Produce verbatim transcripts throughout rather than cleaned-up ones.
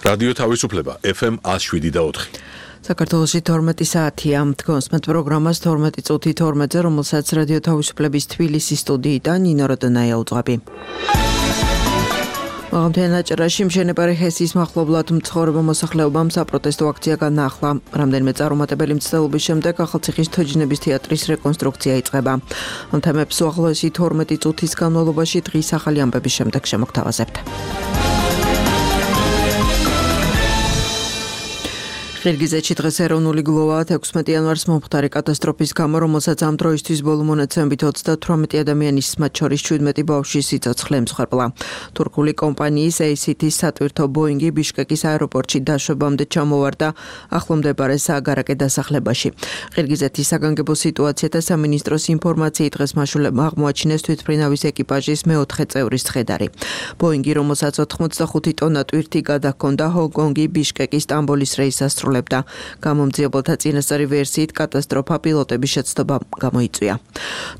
რადიო თავისუფლება ეფ ემ one oh seven და four. საქართველოში თორმეტი საათია. თქვენს პროგრამას თორმეტი წუთი თორმეტზე, რომელსაც რადიო თავისუფლების თბილისის სტუდიიდან ნინო როდონაია უძღვები. მაღალმთიან აჭარაში მშენებარე ჰესის მახლობლად მცხოვრებო მოსახლეობამ საპროტესტო აქცია განაახლა. რამდენიმე წარუმატებელი მცდელობის შემდეგ ახალციხის თოჯინების თეატრის რეკონსტრუქცია იწყება. ამ თემებს უახლოესი თორმეტი წუთის განმავლობაში დღის ახალი ამბების შემდეგ შემოგთავაზებთ. ხირგიზეთში დღეს ეროვნული გლოვაა ექვსმეტი იანვარს მომხდარი კატასტროფის გამო, რომელსაც ამ დროისთვის ბოლო მონაცემებით ოცდათვრამეტი ადამიანის, მათ შორის შვიდმეტი ბავშვის სიცოცხლე ემსხვერპლა. თურქული კომპანიის ეი სი თის სატვირთო ბოინგი ბიშკეკის აეროპორტში დაშვებამდე ჩამოვარდა ახლომდებარე სააგარაკე დასახლებაში. ხირგიზეთის საგანგებო სიტუაციათა სამინისტროს ინფორმაციით დღეს მაშულებმა აღმოაჩინეს თვითმფრინავის ეკიპაჟის მეოთხე წევრის ცხედარი. ბოინგი, რომელსაც ოთხმოცდახუთი ტონა ტვირთი გადაჰქონდა, ჰონგ-კონგი ბიშკეკის სტამბოლის რეისს ასრულებდა. გამომძიებელთა წინასწარი ვერსიით კატასტროფა პილოტების შეცდომამ გამოიწვია.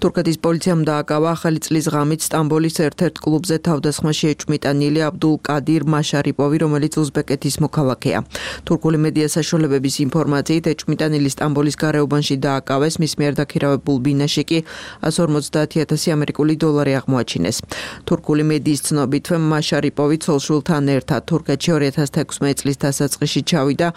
თურქეთის პოლიციამ დააკავა ახალი წლის ღამით სტამბოლის ერთ-ერთ კლუბზე თავდასხმაში ეჭვმიტანილი აბდულ კადირ მაშარიპოვი, რომელიც უზბეკეთის მოქალაქეა. თურქული მედია საშუალებების ინფორმაციით ეჭვმიტანილი სტამბოლის გარეუბანში დააკავეს, მის მიერ დაქირავებულ ბინაში კი one hundred fifty thousand ამერიკული დოლარი აღმოაჩინეს. თურქული მედიის ცნობით, მაშარიპოვი ცოლ-შვილთან ერთად თურქეთში two thousand sixteen წლის დასაწყისში ჩავიდა.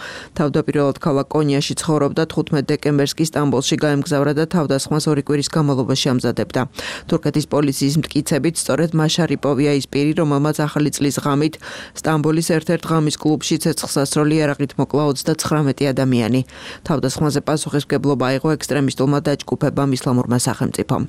თავდაპირველად ქალაქ კონიაში ცხოვრობდა, თხუთმეტი დეკემბერს კი სტამბოლში გაემგზავრა და თავდასხმას ორი კვირის განმავლობაში ამზადებდა. თურქეთის პოლიციის მტკიცებით, სწორედ მაშარიპოვია ის პირი, რომელმაც ახალი წლის ღამით სტამბოლის ერთ-ერთ ღამის კლუბში ცეცხლსასროლი იარაღით მოკლა ოცდათხრამეტი ადამიანი. თავდასხმაზე პასუხისმგებლობა აიღო ექსტრემისტულმა დაჯგუფებამ ისლამურმა სახელმწიფომ.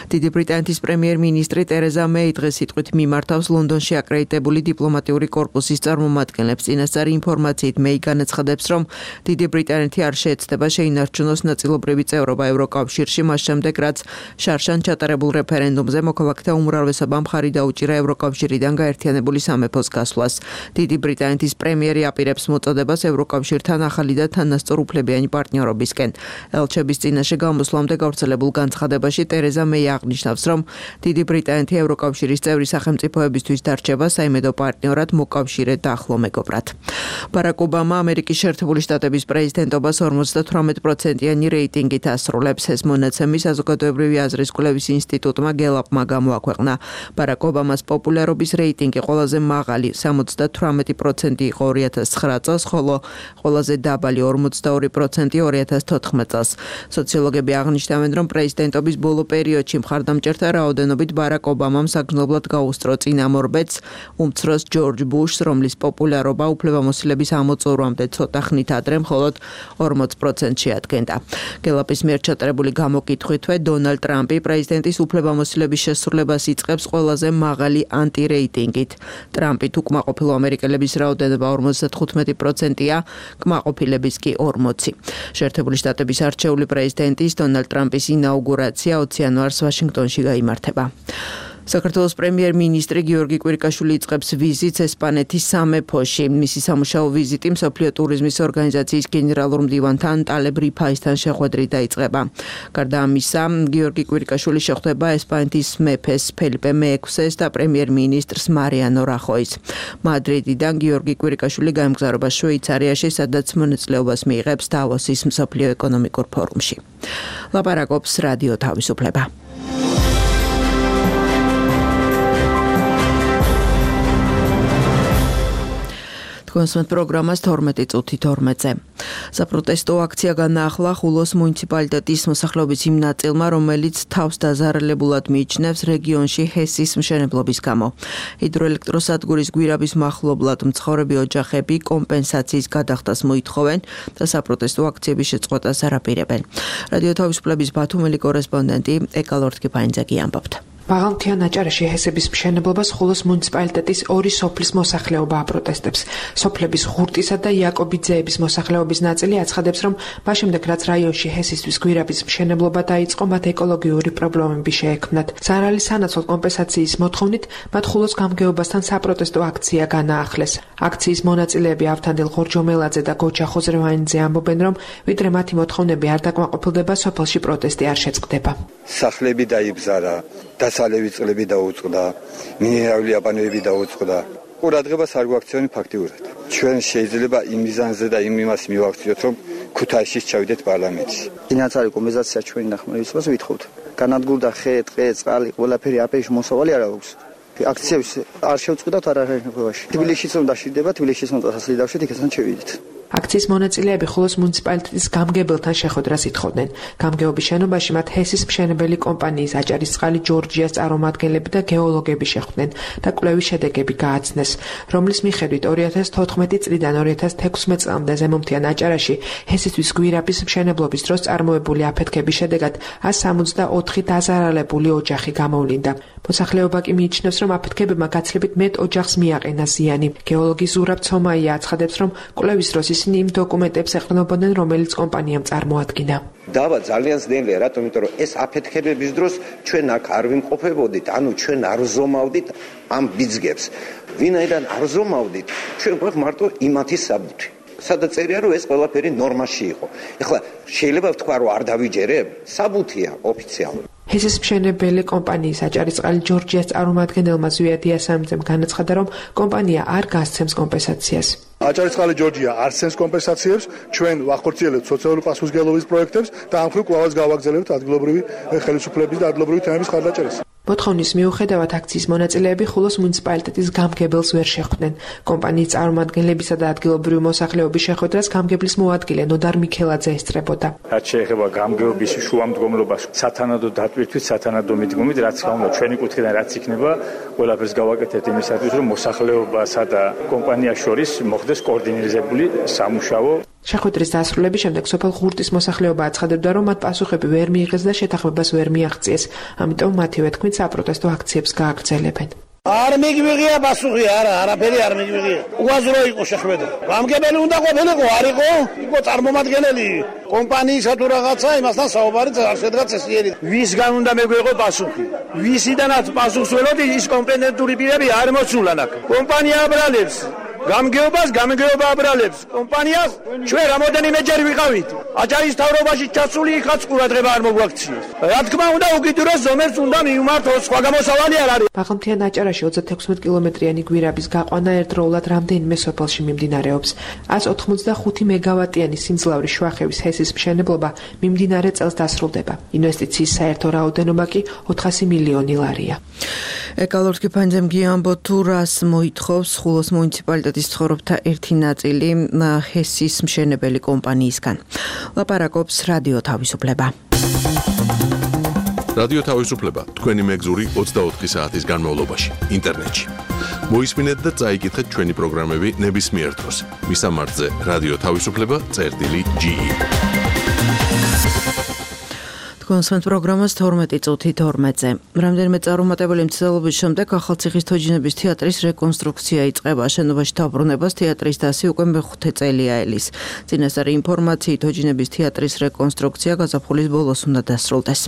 დიდი ბრიტანეთის პრემიერ-მინისტრი ტერეზა მეი დღეს სიტყვით მიმართავს ლონდონში აკრედიტებული დიპლომატიური კორპუსის წარმომადგენლებს. წინასწარი ინფორმაციით მეი განაცხადებს, რომ დიდი ბრიტანეთი არ შეეცდება შეინარჩუნოს ნაწილობრივი წევრობა ევროკავშირში, მას შემდეგ რაც შარშან ჩატარებულ რეფერენდუმზე მოქალაქეთა უმრავლესობამ მხარი დაუჭირა ევროკავშირიდან გაერთიანებული სამეფოს გასვლას. დიდი ბრიტანეთის პრემიერი აპირებს მოწოდებას ევროკავშირთან ახალი და თანასწორუფლებიანი პარტნიორობისკენ. ელჩების წინაშე გამოსვლამდე გავრცელებულ განცხადებაში ტერეზა მეი აღნიშნავს, რომ დიდი ბრიტანეთი ევროკავშირის წევრი სახელმწიფოებისთვის დარჩება საიმედო პარტნიორად, მოკავშირედ და ახლო მეგობრად. ბარაკ ობამა ამერიკის შეერთებული შტატების პრეზიდენტობას ორმოცდათვრამეტ პროცენტიანი რეიტინგით ასრულებს. ეს მონაცემი საზოგადოებრივი აზრის კვლევის ინსტიტუტმა გელაპმა გამოაქვეყნა. ბარაკ ობამას პოპულარობის რეიტინგი ყველაზე მაღალი სამოცდათვრამეტი პროცენტი იყო two thousand nine წელს, ხოლო ყველაზე დაბალი ორმოცდაორი პროცენტი two thousand fourteen წელს. სოციოლოგები აღნიშნავენ, რომ პრეზიდენტობის ბოლო პერიოდში მხარდამჭერთა რაოდენობით ბარაკ ობამამ საგრძნობლად გაუსწრო წინამორბედს, უმცროს ჯორჯ ბუშს, რომლის პოპულარობა უფლებამოსილების ამოწურვამდე ცოტა ხნით ადრე მხოლოდ ორმოც პროცენტს შეადგენდა. გელაპის მიერ ჩატარებული გამოკითხვითვე დონალდ ტრამპი პრეზიდენტის უფლებამოსილების შესრულებას იწყებს ყველაზე მაღალი ანტირეიტინგით. ტრამპით უკმაყოფილო ამერიკელების რაოდენობა ორმოცდათხუთმეტი პროცენტია, კმაყოფილების კი ორმოცი. შეერთებული შტატების არჩეული პრეზიდენტის დონალდ ტრამპის ინაუგურაცია ოცი იანვარს ვაშინგტონში გაიმართება. საქართველოს პრემიერ-მინისტრი გიორგი კვირიკაშვილი იწყებს ვიზიტს ესპანეთის სამეფოში. მისი სამუშაო ვიზიტი მსოფლიო ტურიზმის ორგანიზაციის გენერალურ მდივანთან ტალებ რიფაისთან შეხვედრით დაიწყება. გარდა ამისა, გიორგი კვირიკაშვილი შეხვდება ესპანეთის მეფეს ფელიპე მეექვსეს და პრემიერ-მინისტრს მარიანო რახოის. მადრიდიდან გიორგი კვირიკაშვილი გაემგზავრება შვეიცარიაში, სადაც მონაწილეობას მიიღებს დავოსის მსოფლიო ეკონომიკურ ფორუმში. ლაპარაკობს რადიო თავისუფლება. კონსმეთ პროგრამას თორმეტი წუთი თორმეტზე. საპროტესტო აქცია განაახლა ხულოს მუნიციპალიტეტის მოსახლეობის იმ ნაწილმა, რომელიც თავს დაზარალებულად მიიჩნევს რეგიონში ჰესის მშენებლობის გამო. ჰიდროელექტროსადგურის გვირაბის მახლობლად მცხოვრები ოჯახები კომპენსაციის გადახდას მოითხოვენ და საპროტესტო აქციების შეწყვეტას არაპირებენ. რადიო თავისუფლების ბათუმელი კორესპონდენტი ეკალორთ კიფანიძე ამბობთ. მაღალმთიან აჭარაში ჰესების მშენებლობას ხულოს მუნიციპალიტეტის ორი სოფლის მოსახლეობა აპროტესტებს. სოფლების ღურტისა და იაკობიძეების მოსახლეობის ნაწილი აცხადებს, რომ მას შემდეგ რაც რაიონში ჰესისთვის გვირაბის მშენებლობა დაიწყო, მათ ეკოლოგიური პრობლემები შეექმნათ. ზარალის სანაცვლოდ კომპენსაციის მოთხოვნით მათ ხულოს გამგეობასთან საპროტესტო აქცია განაახლეს. აქციის მონაწილეები ავთანდილ ხორჯომელაძე და გოჩა ხოზრევანიძე ამბობენ, რომ ვიდრე მათი მოთხოვნები არ დაკმაყოფილდება, სოფელში პროტესტი არ შეწყდება. სახლები დაიბზარა, დასალევი წყლები დაუწყდა, მინერალური აბანოები დაუწყდა. ყურადღებას არ გვაქცევენ ფაქტიურად. ჩვენ შეიძლება იმ მიზანზე და იმ იმას მივაქციოთ, რომ ქუთაისში ჩავიდეთ პარლამენტში. ფინანსური კომპენსაცია ჩვენი დახმარებისთვის ვითხოვთ. განადგურდა ხე, ტყე, წყალი, ყველაფერი აპეში მოსავალი არ აქვს. აქციებს არ შევწყვიტავთ არაღებაში. თბილისშიც რომ დაშვიდება, თბილისშიც რომ დასაძლიდავშით, იქიდან შევიდეთ. აქციის მონაწილეები ხულოს მუნიციპალიტეტის გამგებელთან შეხვედრას ითხოვდნენ. გამგეობის შენობაში მათ ჰესის მშენებელი კომპანიის აჭარისწყალი ჯორჯიას წარმომადგენლები და გეოლოგები შეხვდნენ და კვლევის შედეგები გააცნეს, რომლის მიხედვით ორი ათას თოთხმეტი წლიდან ორი ათას თექვსმეტ წლამდე ზემომთიან აჭარაში ჰესისთვის გვირაბის მშენებლობის დროს წარმოებული აფეთქების შედეგად ას სამოცდაოთხი დაზარალებული ოჯახი გამოვლინდა. მოსახლეობა კი მიიჩნევს, რომ აფეთქებებმა გაცილებით მეტ ოჯახს მიაყენა ზიანი. გეოლოგი ზურაბ ცომაია აცხადებს, რომ კვლევის დროს ისინი იმ დოკუმენტებს ეყრდნობოდნენ, რომელიც კომპანიამ წარმოადგინა. დავა ძალიან ძნელია, რატომ? იმიტომ რომ ეს აფეთქებების დროს ჩვენ აქ არ ვიმყოფებოდით, ანუ ჩვენ არ ვზომავდით ამ ბიძგებს. ვინაიდან არ ვზომავდით, ჩვენ გვაქვს მარტო იმათი საბუთი. სადაც წერია, რომ ეს ყველაფერი ნორმაში იყო. ეხლა შეიძლება ვთქვა, რომ არ დავიჯერებ, საბუთია ოფიციალური. ჰესის მშენებელი კომპანიის აჭარისწყალი ჯორჯიას წარმომადგენელმა ზვია დიასამიძემ განაცხადა, რომ კომპანია არ გასცემს კომპენსაციას. აჭარისწყალი ჯორჯია არ სცემს კომპენსაციებს, ჩვენ ვახორციელებთ სოციალური პასუხისმგებლობის პროექტებს და ამ მხრივ კვლავაც გავაგრძელებთ ადგილობრივი ხელისუფლების და ადგილობრივი თემების ხარდაჭერას. მოთხოვნის მიუხედავად აქციის მონაწილეები ხულოს მუნიციპალიტეტის გამგებელს ვერ შეხვდნენ. კომპანიის წარმომადგენლებისა და ადგილობრივი მოსახლეობის შეხვედრას გამგებლის მოადგილე ნოდარ მიქელაძე ესწრებოდა. რაც შეეხება გამგეობის შუამდგომლობას, სათანადო დატვირთვით, სათანადო მიდგომით, რაც გამოვა ჩვენი კუთხიდან რაც იქნება, ყველაფერს გავაკეთებთ იმისათვის, რომ მოსახლეობასა და კომპანიას შორის მოხდეს კოორდინირებული სამუშაო. შეხვედრის დასრულების შემდეგ სოფელ ღურტის მოსახლეობა აცხადებდა, რომ მათ პასუხები ვერ მიიღეს და შეთანხმებას ვერ მიაღწიეს. ამიტომ მათივე თქმით საპროტესტო აქციებს გააგრძელებენ. არ მიგვიღია პასუხი, არა, არაფერი არ მიგვიღია. უაზრო იყო შეხვედრა. გამგებელი უნდა ყოფილიყო, არ იყო? იყო წარმომადგენელი კომპანიისა თუ რაღაცა, იმასთან საუბარი არ შედგა წესიერი. ვისგან უნდა მეგვეღო პასუხი? ვისიდანაც პასუხს ველოდი, ის კომპეტენტური პირები არ მოსულან აქ. კომპანია აბრალებს გამგეობას, გამგეობა აბრალებს კომპანიას. ჩვენ რამოდენიმეჯერ ვიყავით. აჭარის თავრობაში ჩასული იქაც ყურადღება არ მოგვაქციეს. რა თქმა უნდა, უკიდურეს ზომებს უნდა მივმართოთ, სხვა გამოსავალი არ არის. ბაღლმთიან აჭარაში ოცდათექვსმეტ კილომეტრიანი გვირაბის გაყვანა ერთდროულად რამდენიმე სოფელში მიმდინარეობს. ას ოთხმოცდახუთი მეგავატიანი სიმძლავრის შვახევის ჰესის მშენებლობა მიმდინარე წელს დასრულდება. ინვესტიციის საერთო რაოდენობა კი ოთხასი მილიონი ლარია. ეკალორსკი ფანჯემ გიამბო თუ რას მოითხოვს ხულოს მუნიციპალიტეტის ცხოვრობთა ერთი ნაწილი ჰესის მშენებელი კომპანიისგან. ლაპარაკობს რადიო თავისუფლება. რადიო თავისუფლება თქვენი მეგზური ოცდაოთხი საათის განმავლობაში ინტერნეტში. მოისმინეთ და წაიკითხეთ ჩვენი პროგრამები ნებისმიერ დროს. მისამართზე რადიო თავისუფლება წერტილი ჯი ი. კონსერტ პროგრამას თორმეტი წუთი თორმეტზე. რამდენიმე წარუმატებელი მცდელობის შემდეგ ახალციხის თოჯინების თეატრის რეკონსტრუქცია იწყება. შენობაში დაბრუნებას თეატრის დასი უკვე მეხუთე წელია ელის. წინასწარი ინფორმაციით თოჯინების თეატრის რეკონსტრუქცია გაზაფხულის ბოლოს უნდა დასრულდეს.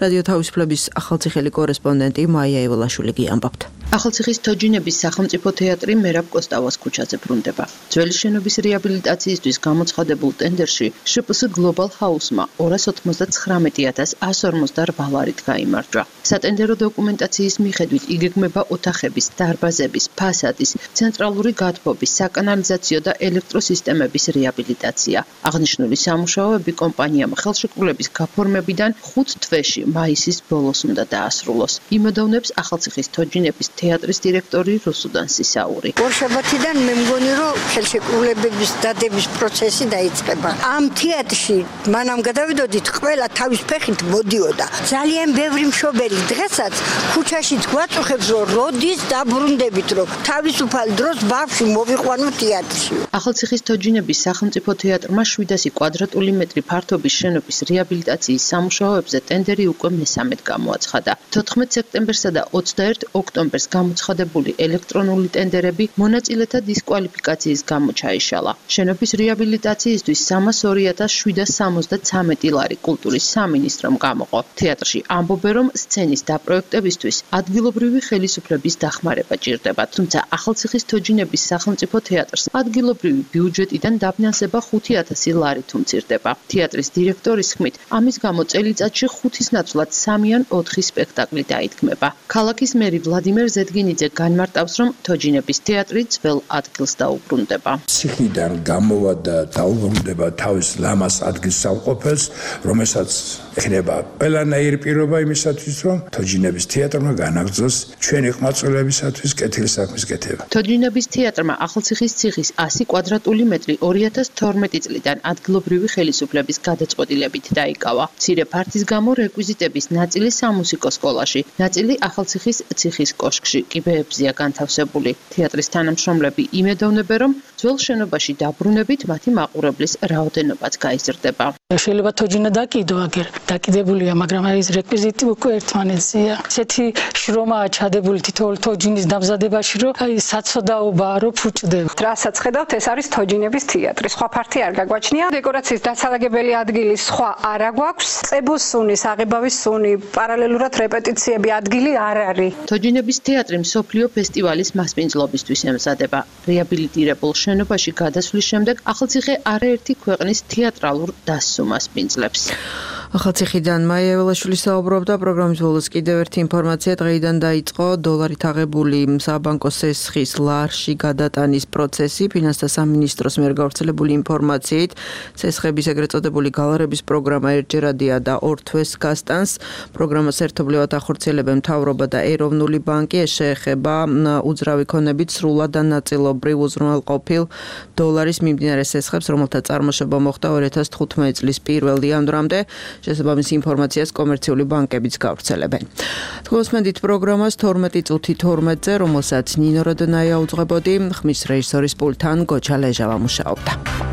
რადიო თავისუფლების ახალციხელი კორესპონდენტი მაია ევოლაშვილი გიამბობთ. ახალციხის თოჯინების სახელმწიფო თეატრი მერაბ კოსტავას ქუჩაზე ბრუნდება. ძველი შენობის რეაბილიტაციისთვის გამოცხადებულ ტენდერში შე პე ეს გლობალ ჰაუსმა ორას ოთხმოცდაცხრამეტი ათას ას ორმოცდაორ ლარით გაიმარჯვა. სატენდერო დოკუმენტაციის მიხედვით იგეგმება ოთახების, დარბაზების, ფასადის, ცენტრალური გათბობის, საკანალიზაციო და ელექტროსისტემების რეაბილიტაცია. აღნიშნული სამუშაოები კომპანიამ ხელშეკრულების გაფორმებიდან ხუთ თვეში მაისის ბოლოს უნდა დაასრულოს. იმედოვნებს ახალციხის თოჯინების თეატრის დირექტორი რუსუდან სისაური. ორშაბათიდან მე მგონი რომ ხელშეკრულებების დადების პროცესი დაიწყება. ამ თეატრში მანამ გადავიდოდით ყველა თავის ფეხით მოდიოდა. ძალიან ბევრი მშობელი დღესაც ქუჩაშიც გვაწუხებს რომ როდის დაბრუნდებით რომ თავისუფალ დროს ბავშვი მოვიყვანო თეატრში. ახალციხის თოჯინების სახელმწიფო თეატრმა შვიდასი კვადრატული მეტრი ფართობის შენობის რეაბილიტაციის სამუშაოებზე ტენდერი უკვე მესამედ გამოაცხადა. თოთხმეტ სექტემბერსა და ოცდაერთ ოქტომბერს გამოცხადებული ელექტრონული ტენდერები მონაწილეთა დისკვალიფიკაციის გამო ჩაიშალა. შენობის რეაბილიტაციისთვის სამას ორი ათას შვიდას სამოცდაცამეტი ლარი კულტურის სამინისტრომ გამოყო. თეატრში ამბობენ, რომ სცენის დაპროექტებისთვის ადგილობრივი ხელისუფლების დახმარება ჭირდება, თუმცა ახალციხის თოჯინების სახელმწიფო თეატრს ადგილობრივი ბიუჯეტიდან დაფინანსება ხუთი ათასი ლარით უმცირდება. თეატრის დირექტორის თქმით, ამის გამო წელიწადში ხუთის ნაცვლად სამი ან ოთხი სპექტაკლი დაითქმება. ქალაქის მერი ვლადიმერ ზედგინიძე განმარტავს, რომ თოჯინების თეატრი ძველ ადგილს დაუბრუნდება. ციხიდან გამოვა და დაუბრუნდება თავის ლამას ადგილს სამყოფელს, რომელსაც ეხება ყველანაირი პირობა იმისათვის, რომ თოჯინების თეატრმა განაგრძოს ჩვენი ყმაწვილებისათვის კეთილსაქმის კეთება. თოჯინების თეატრმა ახალციხის ციხის ასი კვადრატული მეტრი ორი ათას თორმეტი წლიდან ადგილობრივი ხელისუფლების გადაწყვეტილებით დაიკავა. მცირე ფართის გამო რეკვიზიტების ნაწილი სამუსიკო სკოლაში, ნაწილი ახალციხის ციხის კოშკში კიბეებზეა განთავსებული. თეატრის თანამშრომლები იმედოვნებენ, რომ ძველ შენობაში დაბრუნებით მათი მაყურებლის რაოდენობაც გაიზრდება. შეიძლება თოჯინა დაკიდო აგერ დაკიდებულია, მაგრამ ეს რეკვიზიტი უკვე ერთმანეთზეა. ესეთი შრომაა ჩადებული თითოეულ თოჯინის დამზადებაში, რომ აი საცოდაობაა, რომ ფუჭდება. რასაც ხედავთ, ეს არის თოჯინების თეატრი. სხვა ფართი არ გაგვაჩნია. დეკორაციის დასალაგებელი ადგილი სხვა არ აგვაქვს. წებოს სუნის, აღებავის სუნი, პარალელურად რეპეტიციები ადგილი არ არის. თოჯინების თეატრი მსოფლიო ფესტივალის მასპინძლობისთვის ემზადება. რეაბილიტირებულ შენობაში გადასვლის შემდეგ ახალციხე არაერთი ქვეყნის თეატრალურ დასსუმას პინძლებს. ახალციხიდან მაია ეველაშვილი საუბრობდა. პროგრამის ბოლოს კიდევ ერთი ინფორმაცია დღეიდან დაიწყო დოლარით აღებული საბანკო სესხის ლარში გადატანის პროცესი. ფინანსთა სამინისტროს მიერ გავრცელებული ინფორმაციით სესხების ეგრეთ წოდებული გალარების პროგრამა ერთჯერადია და ორ თვეს გასტანს. პროგრამას ერთობლივად ახორციელებენ მთავრობა და ეროვნული ბანკი. ეს შეეხება უძრავი ქონებით სრულად და ნაწილობრივ უზრუნველყოფილ დოლარის მიმდინარე სესხებს, რომელთა წარმოშობა მოხდა ორი ათას თხუთმეტი წლის პირველ იანვრამდე. შესაბამის ინფორმაციას კომერციული ბანკებიც გავრცელებენ. თქოსმენდით პროგრამას თორმეტი წუთი თორმეტზე, რომელსაც ნინო როდნაია უძღვებოდი, ხმის რეჟისორის პულტთან გოჩა ლეჟავა მუშაობდა.